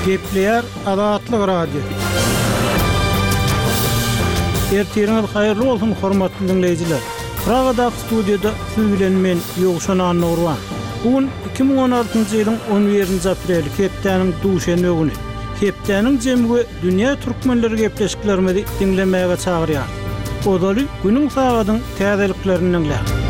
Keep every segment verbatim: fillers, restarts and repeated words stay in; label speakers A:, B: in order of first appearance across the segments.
A: Gepleýär Azatlyk Radiosy. Ertiriňiz haýyrly bolsun, hormatly diňleýjiler. Pragadaky studiýada siz bilen men Ýowşan Annagurban. Bu gün iki müň on altynjy ýylyň on birinji apreli, hepdäniň duşenbe güni. Hepdäniň jemi we dünýä türkmenleri gepleşiklerimizi diňlemäge çagyrýar. Ozaly günüň sagadyň täzeliklerini diňläň.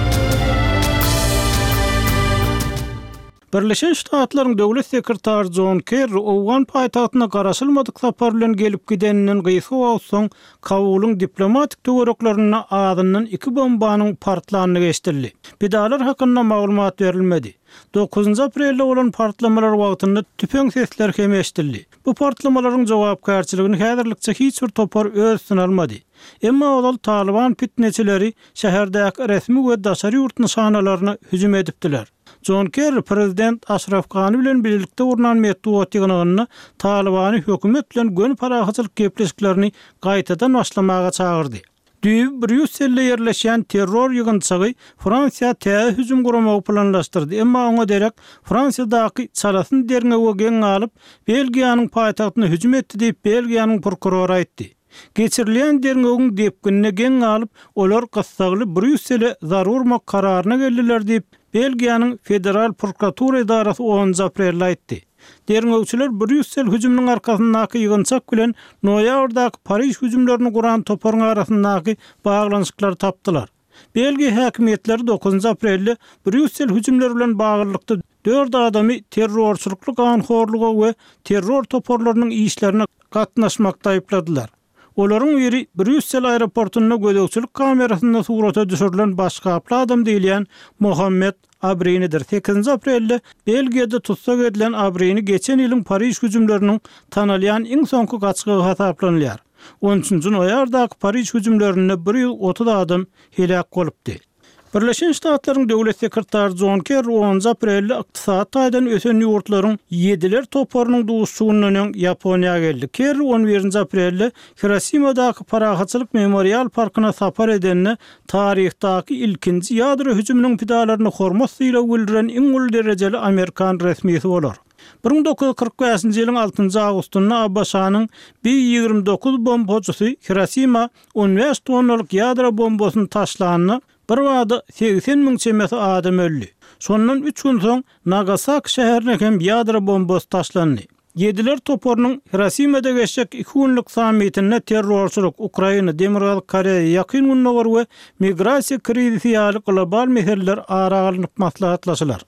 A: Birleşen Ştatlaryň döwlet sekretary John Kerry Owgan paýtagtyna garaşylmadyk sapar bilen gelip gideninden gysga wagt soň Kabulyň diplomatik töwereklerinde azyndan iki bombanyň partlandygy eşidildi. Pidalar hakynda maglumat berilmedi. Dokuzynjy aprelde bolan partlamalar wagtynda tüpeň sesleri hem eşidildi. Bu partlamalaryň jogapkärçiligini häzirlikçe hiç bir topar öz üstüne almady. Emma ozal Taliban fitneçileri şäherdäki resmi we daşary ýurt nyşanalaryna hüjüm edipdiler. John Kerry prezident Aşraf Gani bilen birlikde gurnan metbugat ýygnagynda Talibany hökümet bilen göni parahatçylyk gepleşiklerini gaýtadan başlamaga çagyrdy. Düýbi Brýusselde ýerleşýän terror ýygynçygy Fransiýa täze hüjüm guramagy planlaşdyrdy. Emma oňa derek Fransiýadaky çalasyn derňewe geň galyp, Belgiýanyň paýtagtyna hüjüm etdi diýip Belgiýanyň prokurory aýtdy. Geçirilýän derňewiň depginine geň galyp, olar gyssagly Brýussele zarur urmak kararyna geldiler diýip, Belgiýanyň Federal prokuratura edarasy onunjy aprelde aýtdy. Derňewçiler Brýussel hüjüminiň arkasyndaky ýygynçak bilen noýabrdaky Pariž hüjümlerini guran toparyň arasyndaky baglanyşyklary tapdylar. Belgiýa häkimiýetleri dokuzynjy aprelde Brýussel hüjümleri bilen baglylykda dört adamy terrorçylykly ganhorluga we terror toparlarynyň işlerine gatnaşmakda aýypladylar. Olaryň biri Brýussel aeroportunda gözegçilik kamerasynda surata düşürilen başgaply adam diýilýän Mohammed Abrinidir. Sekizinji aprelde Belgiýada tutsak edilen Abrini geçen ýylyň Pariž hüjümleriniň tanalýan iň soňky gaçgagy hasaplanylýar. On üçünji noýabrdaky Pariž hüjümlerinde bir ýüz otuz adam heläk bolupdy. Birleşen Ştatlaryň döwlet sekretary John Kerry onunjy aprelde ykdysady taýdan ösen ýurtlaryň ýediler toparynyň duşuşygyndan öň Ýaponiýa geldi. Kerry on birinji aprelde Hirosimadaky Parahatçylyk memorial parkyna sapar edende taryhdaky ilkinji ýadro hüjüminiň pidalaryny hormat sylagy bildiren iň uly derejeli Amerikan resmisi bolar. Bir müň dokuz ýüz kyrk bäşinji ýylyň altynjy awgustynda ABŞ-nyň B ýigrimi dokuz bombajysy Hirosima on bäş tonnalyk ýadro bombasyny taşlanda bir bada segsen müň çemesi adam öldi. Şondan üç gün soň Nagasaki şäherine hem ýadro bombasy taşlandy. Ýediler toparynyň Hirosimada geçjek iki günlük sammitinde terrorçylyk, Ukraina, Demirgazyk Koreýa, Ýakyn Gündogar we migrasiýa krizisi ýaly global meseleler ara alnyp maslahatlaşylar.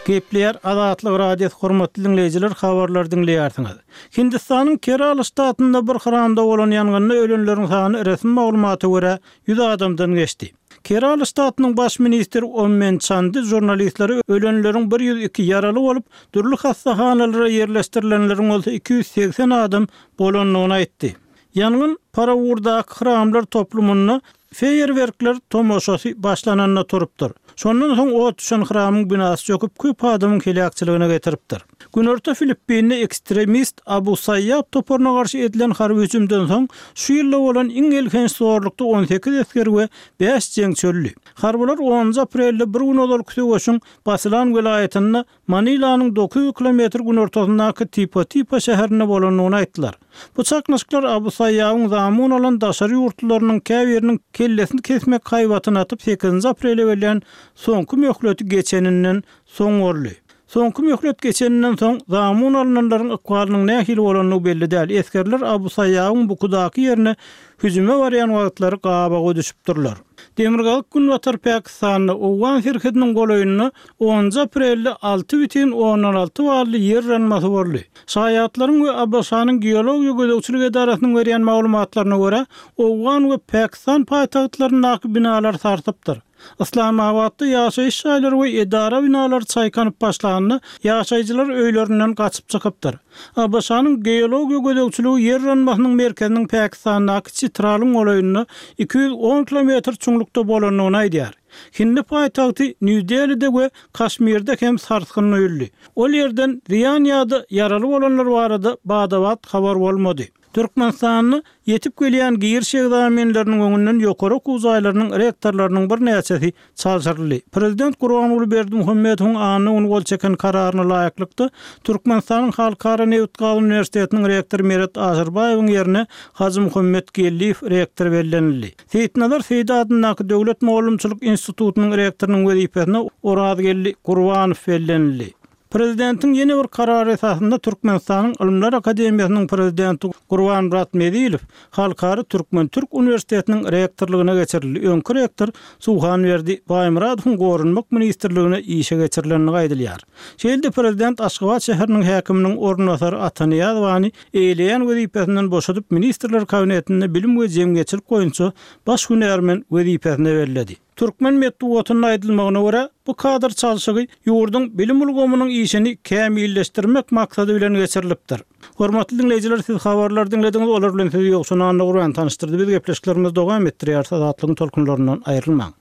A: Gepleýär Azatlyk Radiosy, hormatly diňleýjiler, habarlar diňleýärsiňiz. Hindistanyň Kerala ştatynda bir hramda bolan ýangynda ölenleriň sany resmi maglumata görä ýüz adamdan geçdi. Kerala ştatynyň baş ministri Ommen Çandy žurnalistleri ölenleriň bir ýüz iki ýaraly bolup, dürli hassahanalara ýerleşdirilenleriň bolsa iki ýüz segsen adam bolandygyny aýtdy. Ýangyn Parawurdaky hramlar toplumynda feýerwerkler tomaşasy başlananda turupdyr. Şondan soň ot düşen hramyň binasy çöküp, köp adamyň heläkçiligine getiripdir. Günorta Filippinde ekstremist Abu Sayyaf toparyna garşy edilen harby hüjümden soň şu ýylda bolan iň elhenç zorlukda on sekiz esger we bäş jeňçi öldi. Harbylar onunjy aprelde bir gün ozalky söweşiň Basilan welaýatynda Manilanyň dokuz ýüz kilometr günortasyndaky Tipo-Tipo şäherinde bolandygyny aýtdylar. Bu çaknyşyklar Abu Sayyafyň zamun alan daşary ýurtlylarynyň käbiriniň kellesini kesmek haýbatyny atyp sekizinji aprele gelýän soňky möhleti geçeninden soň boldy. Soňky möhlet geçeninden soň zamun alynanlaryň ykbalynyň nähili bolandygy belli däl. Esgerler Abu Sayyafyň bukudaky ýerine hüjüme barýan wagtlary gabaga düşüpdirler. Demirgazyk Günbatar Pakistanda Owgan serhediniň golaýynda onunjy aprelde alty bütin ondan alty bally ýer yranmasy boldy. Şaýatlaryň we ABŞ-nyň geologiýa gözegçilik edarasynyň berýän maglumatlaryna görä, Owgan we Pakistan paýtagtlaryndaky binalar sarsypdyr. Islamabatda ýaşaýyş jaýlary we edara binalary çaýkanyp başlanda, ýaşaýjylar öýlerinden gaçyp çykypdyr. ABŞ-nyň geologiýa gözegçiligi ýer yranmasynyň merkeziniň Pakistandaky Çitralyň golaýynda iki ýüz on kilometr çuňlukda bolandygyny aýdýar. Hindi paýtagty Nýu-Delide we Kaşmirde hem sarsgyn duýuldy. Ol ýerden zyýan ýa-da ýaraly bolanlar barada bada-bat habar bolmady. Türkmenistanda ýetip gelýän giriş ekzamenleriniň öňünden ýokary okuw jaýlarynyň rektorlarynyň birnäçesi çalşyryldy. Prezident Gurbanguly Berdimuhamedowyň anna güni gol çeken kararyna laýyklykda, Türkmenistanyň Halkara nebit-gaz uniwersitetiniň rektory Meret Aşyrbaýewiň ýerine Hajymuhammet Geldiýew rektor bellenildi. Seýitnazar Seýdi adyndaky Döwlet mugallymçylyk institutynyň rektorynyň wezipesine Orazgeldi Gurbanow bellenildi. Prezidentiň ýene bir karary esasynda Türkmenistanyň Ylymlar akademiýasynyň prezidenti Gurbanmyrat Mezilow Halkara türkmen-türk uniwersitetiniň rektorlygyna geçirildi. Öňki rektor Suhanberdi Baýmyradowyň Goranmak ministrligine işe geçirilendigi aýdylýar. Şeýle-de prezident Aşgabat şäheriniň häkiminiň orunbasary Ata Nyýazowany eýeleýän wezipesinden boşadyp, Ministrler Kabinetinde bilim we jemgyýetçilik boýunça baş hünärmen wezipesine belledi. Türkmen metbugatynda aýdylmagyna görä, bu kadr çalşygy ýurduň bilim ulgamynyň işini kämilleşdirmek maksady bilen geçirilipdir. Hormatly diňleýjiler, siz habarlary diňlediňiz, olar bilen sizi Ýowşan Annagurban tanyşdyrdy. Biz gepleşiklerimizi dowam etdirýäris, Azatlygyň tolkunlaryndan aýrylmaň.